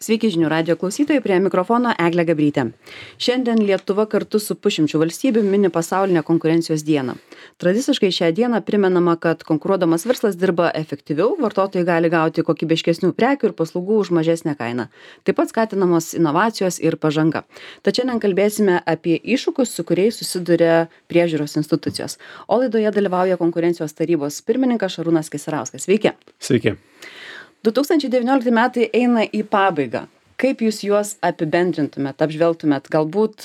Sveiki žinių radijo klausytojai, prie mikrofono Eglė Gabrytė. Šiandien Lietuva kartu su pusšimčiu valstybių mini pasaulinę konkurencijos dieną. Tradiciškai šią dieną primenama, kad konkuruodamas verslas dirba efektyviau, vartotojai gali gauti kokybiškesnių prekių ir paslaugų už mažesnę kainą. Taip pat skatinamos inovacijos ir pažanga. Tad šiandien kalbėsime apie iššūkius, su kuriais susiduria priežiūros institucijos. O laidoje dalyvauja konkurencijos tarybos pirmininkas Šarūnas Keserauskas. Sveiki. Sveiki. 2019 metai eina į pabaigą. Kaip jūs juos apibendrintumėt, apžvelgtumėt? Galbūt,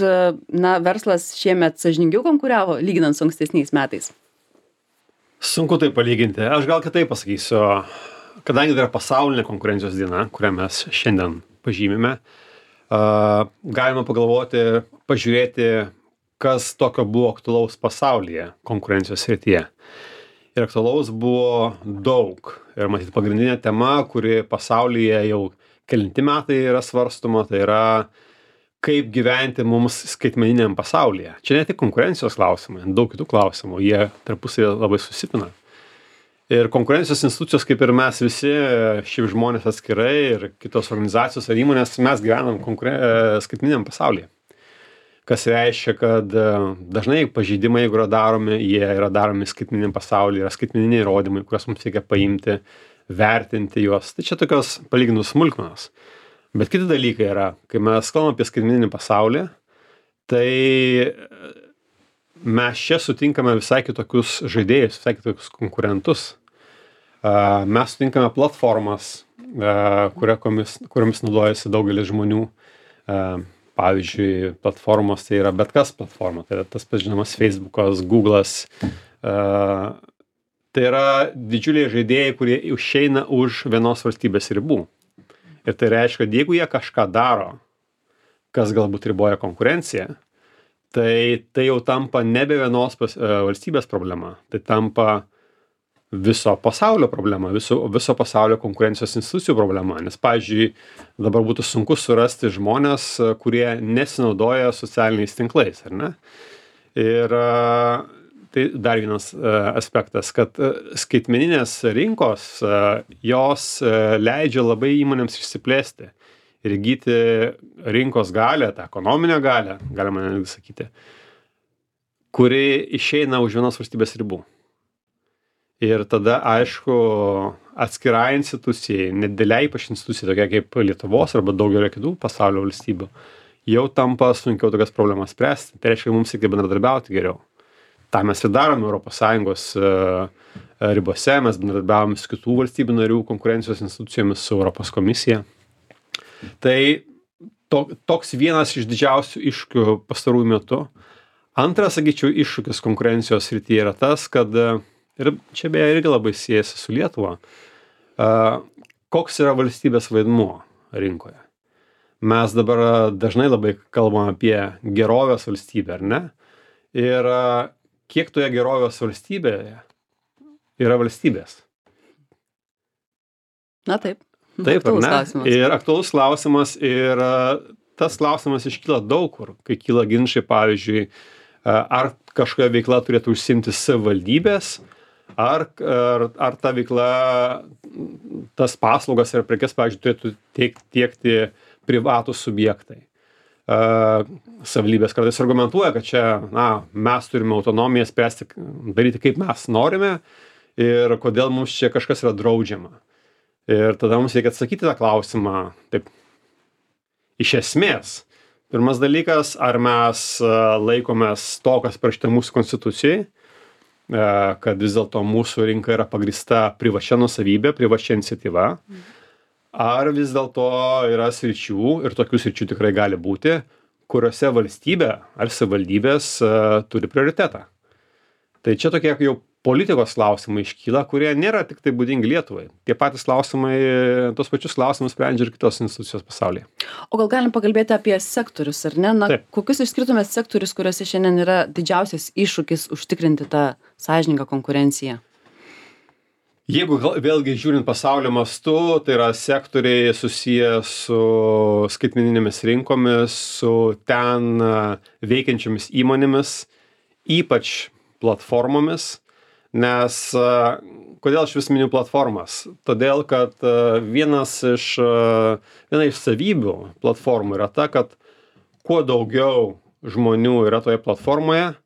verslas šiemet sąžiningiau konkuravo, lyginant su ankstesniais metais? Sunku tai palyginti. Aš gal kitaip pasakysiu. Kadangi tai yra pasaulinė konkurencijos diena, kurią mes šiandien pažymime, galima pagalvoti, pažiūrėti, kas tokio buvo aktualaus pasaulyje konkurencijos srityje. Ir aktualaus buvo daug. Ir matyt, pagrindinė tema, kuri pasaulyje jau kelinti metai yra svarstoma, tai yra kaip gyventi mums skaitmeniniam pasaulyje. Čia ne tik konkurencijos klausimai, daug kitų klausimų, jie tarpusavy labai susipina. Ir konkurencijos institucijos, kaip ir mes visi, šiaip žmonės atskirai ir kitos organizacijos ar įmonės, mes gyvenam skaitmeniniam pasaulyje. Kas reiškia, kad dažnai pažeidimai, jeigu yra daromi, jie yra daromi skaitmeniniam pasaulyje, yra skaitmeniniai įrodymai, kuriuos mums reikia paimti, vertinti juos. Tai čia tokios palyginus smulkmenos. Bet kiti dalykai yra, kai mes kalbame apie skaitmeninį pasaulį, tai mes čia sutinkame visai kitokius žaidėjus, visai kitokius konkurentus. Mes sutinkame platformas, kuriomis naudojasi daugelis žmonių. Pavyzdžiui, platformos tai yra bet kas platforma, tai yra tas pats žinomas Facebookas, Google'as. Tai yra didžiuliai žaidėjai, kurie išeina už vienos valstybės ribų. Ir tai reiškia, kad jeigu jie kažką daro, kas galbūt riboja konkurenciją, tai jau tampa nebe vienos valstybės problema, tai tampa viso pasaulio problema, viso pasaulio konkurencijos institucijų problema. Nes, pavyzdžiui, dabar būtų sunku surasti žmonės, kurie nesinaudoja socialiniais tinklais, ar ne? Ir tai dar vienas aspektas, kad skaitmeninės rinkos, jos leidžia labai įmonėms išsiplėsti ir įgyti rinkos galę, tą ekonominę galę, galima netgi sakyti, kuri išeina už vienos valstybės ribų. Ir tada, aišku, atskirai institucijai, nedėliai ypač institucijai, tokia kaip Lietuvos arba daugelio kitų pasaulio valstybių, jau tampa sunkiau tokias problemas spręsti. Tai reiškia, mums reikia bendradarbiauti geriau. Ta mes ir darome ES ribose, mes bendradarbiavome su kitų valstybių narių konkurencijos institucijomis, su Europos komisija. Tai toks vienas iš didžiausių iššūkių pastarųjų metų. Antras, sakyčiau, iššūkis konkurencijos srityje yra tas, kad ir čia beje irgi labai siejasi su Lietuva. Koks yra valstybės vaidmuo rinkoje? Mes dabar dažnai labai kalbam apie gerovės valstybę, ar ne? Ir kiek toje gerovės valstybėje yra valstybės? Na taip. Taip, ar ne? Ir aktualus klausimas. Ir tas klausimas iškyla daug kur, kai kyla ginčai, pavyzdžiui, ar kažkokia veikla turėtų užsiimti savivaldybės, ar ta veikla, tas paslaugas ir prekes, pavyzdžiui, turėtų tiekti privatūs subjektai. Savivaldybės kartais argumentuoja, kad čia, mes turime autonomiją spręsti, daryti kaip mes norime ir kodėl mums čia kažkas yra draudžiama. Ir tada mums reikia atsakyti tą klausimą taip, iš esmės. Pirmas dalykas, ar mes laikomės to, kas parašyta mūsų konstitucijai, kad vis dėlto mūsų rinka yra pagrįsta privačia nuosavybė, privačia iniciatyva, ar vis dėlto yra sričių, ir tokių sričių tikrai gali būti, kuriuose valstybė ar savivaldybės turi prioritetą. Tai čia tokie jau politikos klausimai iškyla, kurie nėra tik tai būdingi Lietuvai. Tie patys klausimai, tos pačius klausimus sprendžia ir kitos institucijos pasaulyje. O gal galim pakalbėti apie sektorius, ar ne? Taip. Kokius išskirtumėt sektorius, kuriuose šiandien yra didžiausias iššūkis užtikrinti tą sąžiningą konkurenciją? Jeigu vėlgi žiūrint pasaulio mastu, tai yra sektoriai susiję su skaitmeninėmis rinkomis, su ten veikiančiomis įmonėmis, ypač platformomis, Nes kodėl aš vis miniu platformas? Todėl, kad viena iš savybių platformų yra ta, kad kuo daugiau žmonių yra toje platformoje,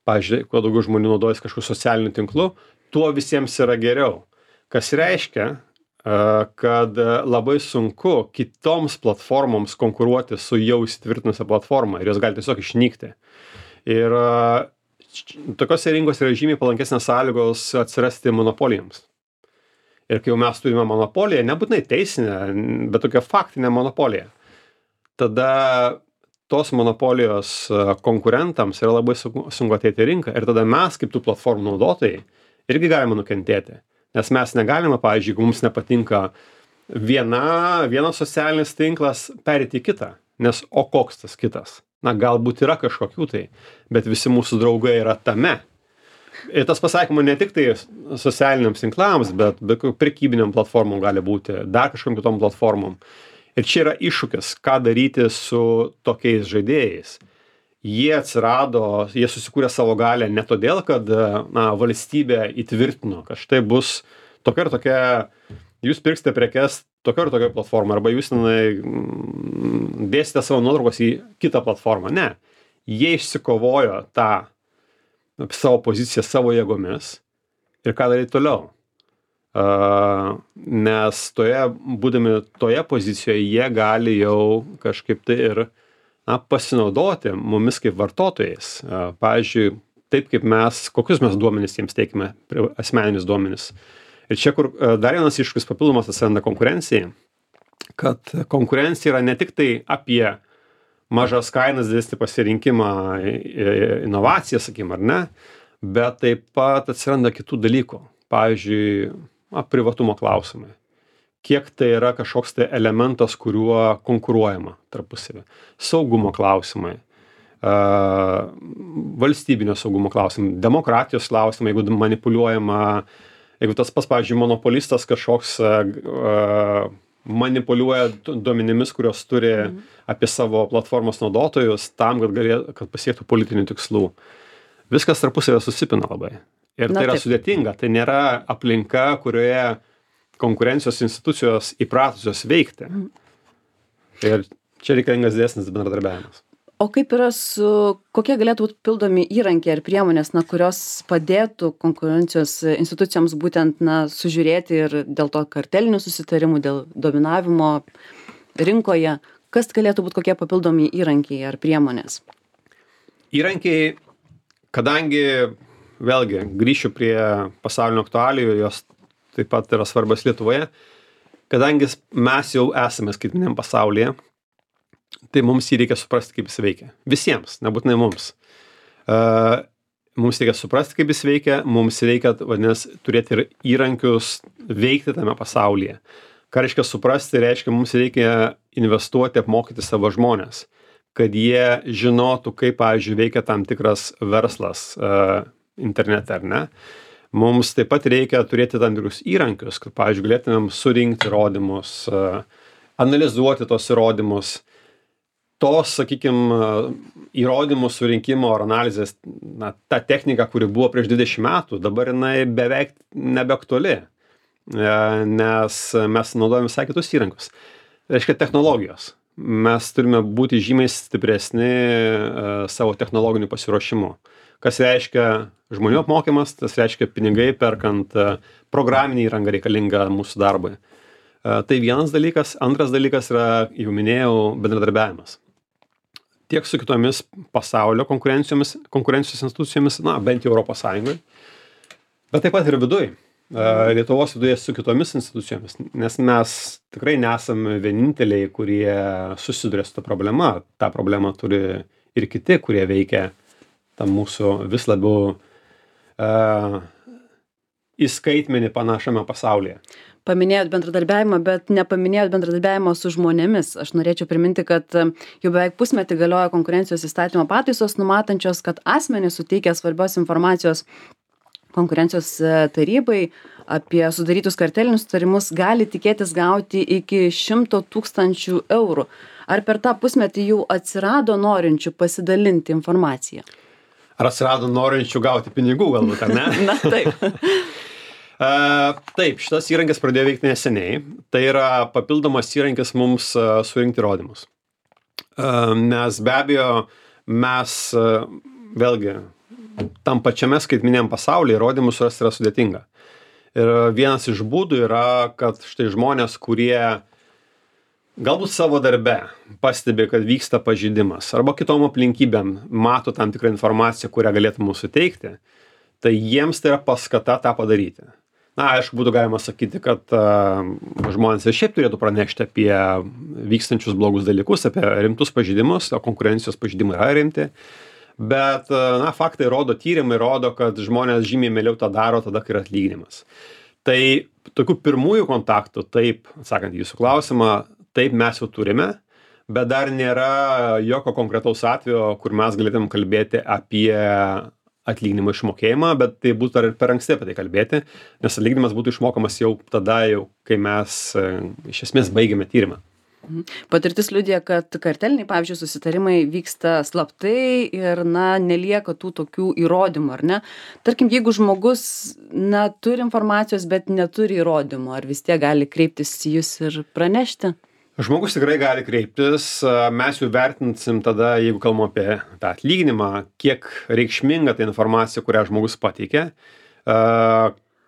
pavyzdžiui, kuo daugiau žmonių naudojasi kažkokiu socialiniu tinklu, tuo visiems yra geriau. Kas reiškia, kad labai sunku kitoms platformoms konkuruoti su jau įsitvirtinusia platforma ir jos gali tiesiog išnykti. Ir tokiose rinkose yra žymiai palankesnės sąlygos atsirasti monopolijoms. Ir kai jau mes turime monopoliją, nebūtinai teisinę, bet tokią faktinę monopoliją, tada tos monopolijos konkurentams yra labai sunku ateiti į rinką ir tada mes, kaip tų platformų naudotojai, irgi galime nukentėti. Nes mes negalime, pavyzdžiui, jeigu mums nepatinka vienas socialinis tinklas, perėti į kitą. Nes o koks tas kitas? Na, galbūt yra kažkokių tai, bet visi mūsų draugai yra tame. Ir tas pasakymų ne tik tai socialiniams tinklams, bet prekybiniam platformom gali būti, dar kažkokiam kitom platformom. Ir čia yra iššūkis, ką daryti su tokiais žaidėjais. Jie susikūrė savo galę ne todėl, kad valstybė įtvirtino, kad štai bus tokia ir tokia, jūs pirksite prekes tokia ir tokia platforma, arba jūs dėsite savo nuotraukos į kitą platformą. Ne. Jie išsikovojo tą savo poziciją savo jėgomis ir ką daryti toliau. Nes būdami toje pozicijoje, jie gali jau kažkaip tai ir pasinaudoti mumis kaip vartotojais. Pavyzdžiui, taip kaip kokius mes duomenis jiems teikime, asmeninius duomenis. Ir čia, kur dar vienas iššūkis papildomas atsiranda konkurencijai, kad konkurencija yra ne tik tai apie mažas kainas, didesnį pasirinkimą, inovaciją, sakykim, ar ne, bet taip pat atsiranda kitų dalykų. Pavyzdžiui, privatumo klausimai. Kiek tai yra kažkoks tai elementas, kuriuo konkuruojama tarpusavy. Saugumo klausimai, valstybinio saugumo klausimai, demokratijos klausimai, jeigu manipuliuojama, jeigu tas pas, pavyzdžiui, monopolistas kažkoks manipuliuoja duomenimis, kurios turi apie savo platformos naudotojus tam, kad pasiektų politinių tikslų. Viskas tarpusavy susipina labai. Ir tai yra sudėtinga. Tai nėra aplinka, kurioje konkurencijos institucijos įpratusios veikti. Ir čia reikalingas didesnis bendradarbiavimas. O kaip yra kokie galėtų būti pildomi įrankiai ar priemonės, kurios padėtų konkurencijos institucijoms būtent sužiūrėti ir dėl to kartelinių susitarimų, dėl dominavimo rinkoje, kas galėtų būti kokie papildomi įrankiai ar priemonės? Įrankiai, kadangi, vėlgi, grįšiu prie pasaulinių aktualijų, jos taip pat yra svarbios Lietuvoje, kadangi mes jau esame skaitmeniniam pasaulyje, tai mums jį reikia suprasti, kaip jis veikia. Visiems, nebūtinai mums. Mums reikia suprasti, kaip jis veikia, mums reikia, vadinasi, turėti ir įrankius veikti tame pasaulyje. Ką reiškia suprasti, reiškia, mums reikia investuoti, apmokyti savo žmonės, kad jie žinotų, kaip, pavyzdžiui, veikia tam tikras verslas internete, ar ne. Mums taip pat reikia turėti tam tikrus įrankius, kad, pavyzdžiui, galėtumėm surinkti įrodymus, analizuoti tos įrodymus. Tos, sakykime, įrodymų surinkimo ar analizės, ta technika, kuri buvo prieš 20 metų, dabar jinai beveik nebeaktuali, nes mes naudojame visai kitus įrankius. Reiškia technologijos. Mes turime būti žymiai stipresni savo technologiniu pasiruošimu. Kas reiškia žmonių apmokymas, tas reiškia pinigai perkant programinį įrangą reikalingą mūsų darbui. Tai vienas dalykas. Antras dalykas yra, jau minėjau, bendradarbiavimas. Tiek su kitomis pasaulio konkurencijos institucijomis, bent jau Europos Sąjungoje, bet taip pat ir viduj. Lietuvos viduje su kitomis institucijomis, nes mes tikrai nesame vieninteliai, kurie susiduria su ta problema. Ta problema turi ir kiti, kurie veikia tam mūsų vis labiau į skaitmenį panašiame pasaulyje. Paminėjot bendradarbiavimą, bet nepaminėjot bendradarbiavimo su žmonėmis. Aš norėčiau priminti, kad jau beveik pusmetį galioja konkurencijos įstatymo pataisos, numatančios, kad asmenys suteikia svarbios informacijos konkurencijos tarybai apie sudarytus kartelinius sutarimus gali tikėtis gauti iki 100 000 eurų. Ar per tą pusmetį jau atsirado norinčių pasidalinti informaciją? Ar atsirado norinčių gauti pinigų galbūt, ar ne? Na, taip. Taip, šitas įrankis pradėjo veikti neseniai. Tai yra papildomas įrankis mums surinkti įrodymus. Nes be abejo, mes vėlgi tam pačiame skaitmeniniam pasaulyje įrodymus surasti yra sudėtinga. Ir vienas iš būdų yra, kad štai žmonės, kurie galbūt savo darbe pastebi, kad vyksta pažeidimas arba kitom aplinkybėm mato tam tikrą informaciją, kurią galėtų mums suteikti, tai jiems tai yra paskata tą padaryti. Na, aišku, būtų galima sakyti, kad žmonės ir šiaip turėtų pranešti apie vykstančius blogus dalykus, apie rimtus pažeidimus, o konkurencijos pažeidimai yra rimti. Bet, na, faktai rodo, tyrimai rodo, kad žmonės žymiai mieliau tą daro tada, kai yra atlyginimas. Tai tokių pirmųjų kontaktų, taip, atsakant į jūsų klausimą, taip mes jau turime, bet dar nėra jokio konkretaus atvejo, kur mes galėtum kalbėti apie atlyginimo išmokėjimą, bet tai būtų dar ir per anksti apie tai kalbėti, nes atlyginimas būtų išmokamas jau tada, kai mes iš esmės baigėme tyrimą. Patirtis liudija, kad karteliniai, pavyzdžiui, susitarimai vyksta slaptai ir, na, nelieka tų tokių įrodymų, ar ne? Tarkim, jeigu žmogus, na, turi informacijos, bet neturi įrodymų, ar vis tiek gali kreiptis į jūs ir pranešti? Žmogus tikrai gali kreiptis, mes jau vertinsim tada, jeigu kalbam apie tą atlyginimą, kiek reikšminga ta informacija, kurią žmogus pateikė.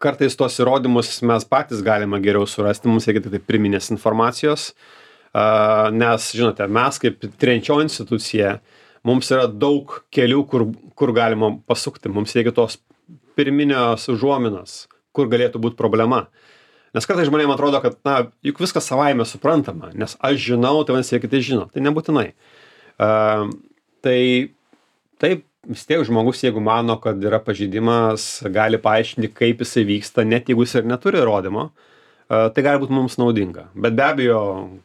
Kartais tos įrodymus mes patys galime geriau surasti, mums reikia tik pirminės informacijos. Nes, žinote, mes kaip tiriančioji institucija, mums yra daug kelių, kur galima pasukti. Mums reikia tos pirminės užuominos, kur galėtų būti problema. Nes kartais žmonėms atrodo, kad, na, juk viskas savaime suprantama, nes aš žinau, tai vadinasi, kiti žino. Tai nebūtinai. Tai taip, vis tiek žmogus, jeigu mano, kad yra pažeidimas, gali paaiškinti, kaip jisai vyksta, net jeigu jis ir neturi įrodymo. Tai gali būti mums naudinga. Bet be abejo,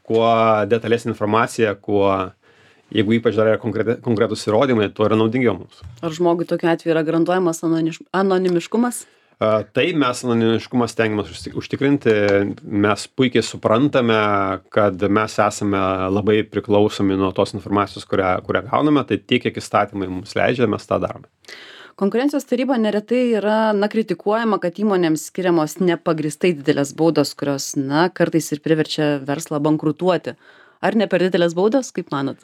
kuo detalesnė informacija, jeigu ypač dar yra konkretus įrodymai, tuo yra naudingiau mums. Ar žmogui tokiu atveju yra garantuojamas anonimiškumas? Taip, mes anonimiškumą stengiamės užtikrinti. Mes puikiai suprantame, kad mes esame labai priklausomi nuo tos informacijos, kurią gauname. Tai tiek, kiek įstatymai mums leidžia, mes tą darome. Konkurencijos taryba neretai yra, na, kritikuojama, kad įmonėms skiriamos nepagristai didelės baudos, kurios, na, kartais ir priverčia verslą bankrutuoti. Ar ne per didelės baudos, kaip manot?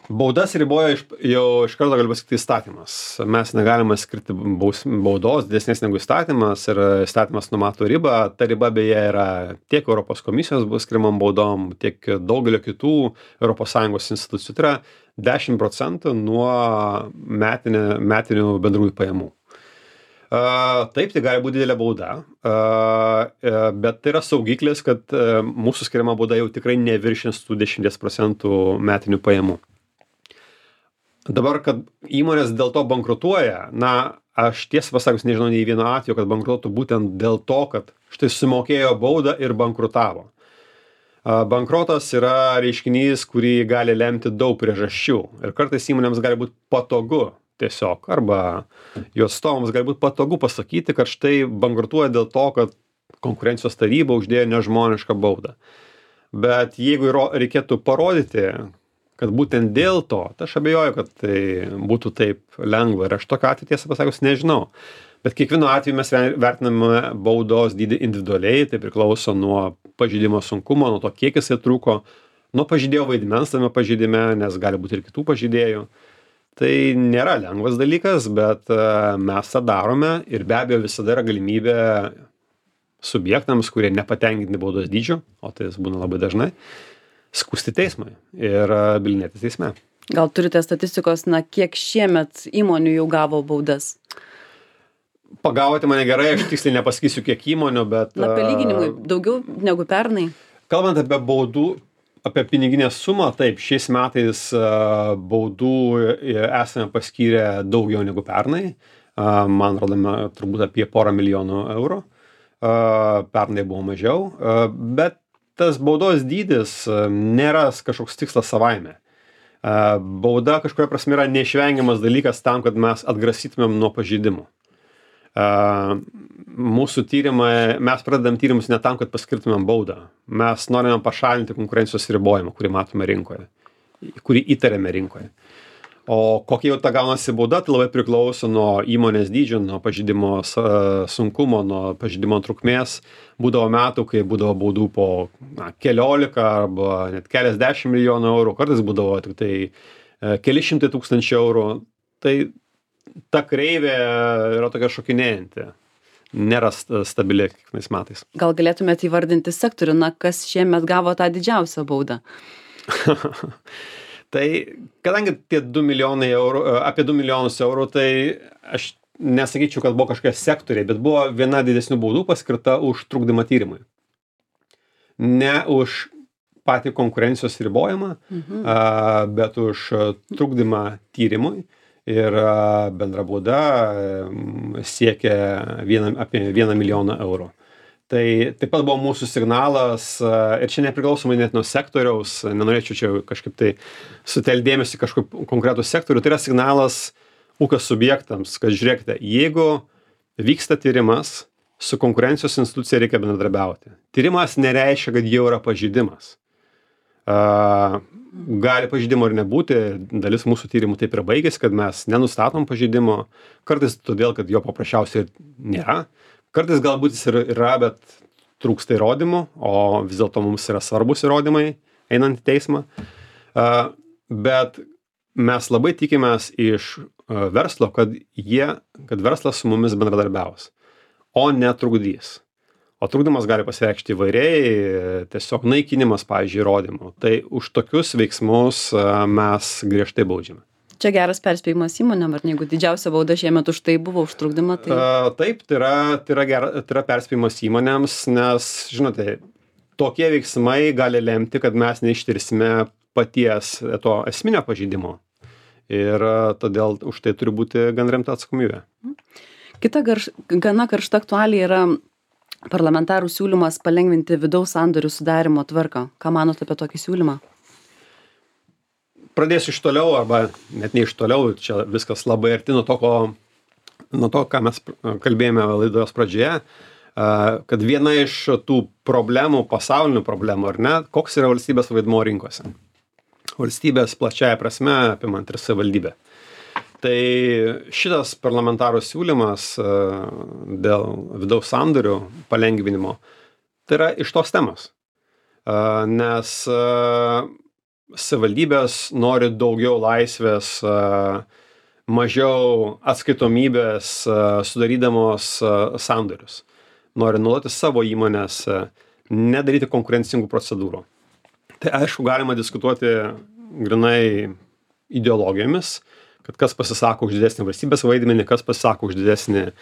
Baudas riboja jau iš karto galiu pasakyti įstatymas. Mes negalime skirti baudos didesnės negu įstatymas ir įstatymas numato ribą. Ta riba beje yra tiek Europos komisijos bus skiriamam baudom, tiek daugelio kitų ES institucijų. Tai yra 10% nuo metinių bendrųjų pajamų. Taip, tai gali būti didelė bauda, bet tai yra saugiklis, kad mūsų skiriama bauda jau tikrai neviršins tų 10% metinių pajamų. Dabar, kad įmonės dėl to bankrutuoja, na, aš tiesą pasakius nežinau nei vieno atveju, kad bankrutuotų būtent dėl to, kad štai sumokėjo baudą ir bankrutavo. Bankrotas yra reiškinys, kurį gali lemti daug priežasčių ir kartais įmonėms gali būti patogu tiesiog, arba jos atstovams gali būti patogu pasakyti, kad štai bankrutuoja dėl to, kad konkurencijos taryba uždėjo nežmonišką baudą. Bet jeigu reikėtų parodyti, kad būtent dėl to, tai aš abejoju, kad tai būtų taip lengva ir aš tokio atveju tiesą pasakius nežinau. Bet kiekvienu atveju mes vertiname baudos dydį individualiai, tai priklauso nuo pažeidimo sunkumo, nuo to, kiek jisai truko, nuo pažeidėjo vaidmens tame pažeidime, nes gali būti ir kitų pažeidėjų. Tai nėra lengvas dalykas, bet mes tą darome ir be abejo visada yra galimybė subjektams, kurie nepatenkinti baudos dydžiu, o tai būna labai dažnai, skųsti teismui ir bylinėtis teisme. Gal turite statistikos, na, kiek šiemet įmonių jau gavo baudas? Pagavote mane gerai, aš tiksliai nepasakysiu kiek įmonių, bet... Na, palyginimui daugiau negu pernai. Kalbant apie baudų, apie piniginę sumą, taip, šiais metais baudų esame paskyrę daugiau negu pernai. Man rodome turbūt apie 1,5 milijonų eurų. Pernai buvo mažiau, bet tas baudos dydis nėra kažkoks tikslas savaime. Bauda kažkuria prasme yra neišvengiamas dalykas tam, kad mes atgrasytumėm nuo pažeidimų. Mūsų tyrimai, mes pradedam tyrimus ne tam, kad paskirtumėm baudą. Mes norime pašalinti konkurencijos ribojimą, kurį matome rinkoje, kurį įtariame rinkoje. O kokia jau ta gaunasi bauda, tai labai priklauso nuo įmonės dydžio, nuo pažeidimo sunkumo, nuo pažeidimo trukmės. Būdavo metų, kai būdavo baudų po keliolika arba net keliasdešimt milijonų eurų, kartais būdavo tik tai keli šimtai tūkstančių eurų. Tai ta kreivė yra tokia šokinėjanti. Nėra stabili kiekvienais metais. Gal galėtumėte įvardinti sektorių, kas šiemet gavo tą didžiausią baudą? Tai kadangi tie 2 milijonai eurų, apie 2 milijonus eurų, tai aš nesakyčiau, kad buvo kažkokie sektoriai, bet buvo viena didesnių baudų paskirta už trukdymą tyrimui. Ne už patį konkurencijos ribojimą, bet už trukdymą tyrimui. Ir bendra bauda siekia apie 1 milijoną eurų. Tai taip pat buvo mūsų signalas, ir čia nepriklausomai net nuo sektoriaus, nenorėčiau čia kažkaip tai sutelkdėmėsi kažkokį konkretų sektorių, tai yra signalas ūkio subjektams, kad žiūrėkite, jeigu vyksta tyrimas, su konkurencijos institucija reikia bendradarbiauti. Tyrimas nereiškia, kad jau yra pažeidimas. Gali pažeidimo ir nebūti, dalis mūsų tyrimų taip ir baigėsi, kad mes nenustatom pažeidimo, kartais todėl, kad jo paprasčiausiai nėra. Kartais galbūt jis ir yra, bet trūksta įrodymų, o vis dėlto mums yra svarbus įrodymai, einant į teismą. Bet mes labai tikimės iš verslo, kad verslas su mumis bendradarbiaus, o netrukdys. O trukdymas gali pasireikšti įvairiai, tiesiog naikinimas, pavyzdžiui, įrodymų. Tai už tokius veiksmus mes griežtai baudžiame. Čia geras perspėjimas įmonėm, ar ne, jeigu didžiausia bauda šiemet už tai buvo, už trukdymą, tai... Taip, tai yra perspėjimas įmonėms, nes, žinote, tokie veiksmai gali lemti, kad mes neištirsime paties to esminio pažeidimo. Ir todėl už tai turi būti gan rimta atsakomybė. Kita gana karšta aktualija yra parlamentarų siūlymas palengvinti vidaus sandorių sudarimo tvarką. Ką manote apie tokį siūlymą? Pradėsiu iš toliau, arba net ne iš toliau, čia viskas labai arti nuo to, ką mes kalbėjome laidos pradžioje, kad viena iš tų problemų, pasaulinių problemų, ar ne, koks yra valstybės vaidmuo rinkose. Valstybės plačiaja prasme apimant ir savivaldybę. Tai šitas parlamentarų siūlymas dėl vidaus sandorių palengvinimo, tai yra iš tos temos. Nes savivaldybės nori daugiau laisvės, mažiau atskaitomybės, sudarydamos sandorius. Nori nuoloti savo įmonės, nedaryti konkurencingų procedūrų. Tai aišku, galima diskutuoti grynai ideologijomis, kad kas pasisako už didesnį valstybės vaidmenį, kas pasisako už didesnį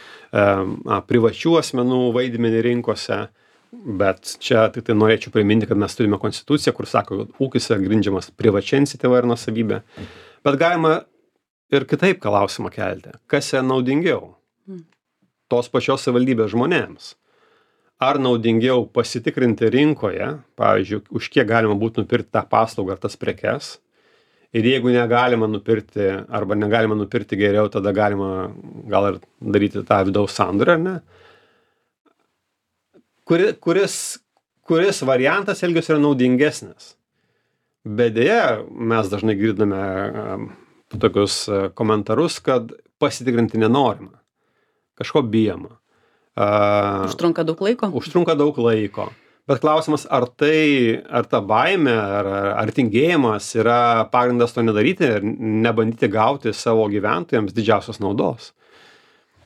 privačių asmenų vaidmenį rinkose. Bet čia tik tai norėčiau priminti, kad mes turime konstituciją, kur sako, kad ūkis yra grindžiamas privačia iniciatyva ir nuosavybė. Bet galima ir kitaip klausimą kelti. Kas yra naudingiau? Tos pačios savivaldybės žmonėms. Ar naudingiau pasitikrinti rinkoje, pavyzdžiui, už kiek galima būtų nupirkti tą paslaugą ar tas prekes? Ir jeigu negalima nupirkti arba negalima nupirkti geriau, tada galima gal ir daryti tą vidaus sandorį, ar ne? Kuris variantas elgesio yra naudingesnis. Bet deja, mes dažnai girdame tokius komentarus, kad pasitikrinti nenorima. Kažko bijoma. Užtrunka daug laiko? Užtrunka daug laiko. Bet klausimas, ar ta baimė, ar tingėjimas yra pagrindas to nedaryti ir nebandyti gauti savo gyventojams didžiausios naudos.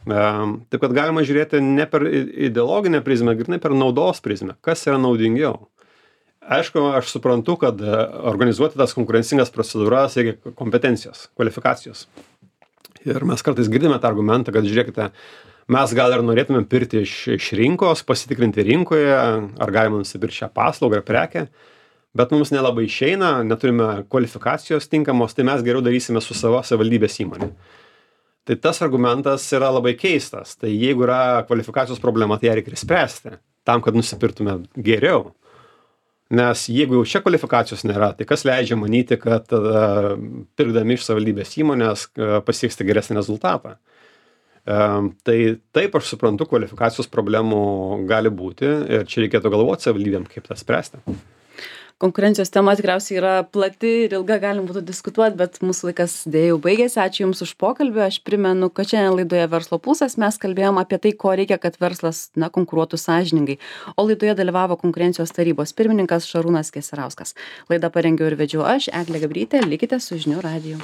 Taip kad galima žiūrėti ne per ideologinę prizmę, grynai per naudos prizmę. Kas yra naudingiau? Aišku, aš suprantu, kad organizuoti tas konkurencingas procedūras reikia kompetencijos, kvalifikacijos. Ir mes kartais girdime tą argumentą, kad žiūrėkite, mes gal ir norėtume pirkti iš rinkos, pasitikrinti rinkoje, ar galima nusipirkti šią paslaugą ar prekę, bet mums nelabai išeina, neturime kvalifikacijos tinkamos, tai mes geriau darysime su savo savivaldybės įmonė. Tai tas argumentas yra labai keistas. Tai jeigu yra kvalifikacijos problema, tai ją reikia spręsti, tam, kad nusipirktume geriau. Nes jeigu jau čia kvalifikacijos nėra, tai kas leidžia manyti, kad pirkdami iš savivaldybės įmonės pasieksite geresnį rezultatą. Tai taip, aš suprantu, kvalifikacijos problemų gali būti ir čia reikėtų galvoti savivaldybėm, kaip tą spręsti. Konkurencijos tema tikriausiai yra plati ir ilga, galim būtų diskutuoti, bet mūsų laikas dėja jau baigėsi. Ačiū Jums už pokalbį. Aš primenu, kad šiandien laidoje Verslo pulsas mes kalbėjom apie tai, ko reikia, kad verslas konkuruotų sąžiningai. O laidoje dalyvavo konkurencijos tarybos pirmininkas Šarūnas Keserauskas. Laidą parengiau ir vedžiau aš, Eglė Gabrytė. Likite su žinių radiju.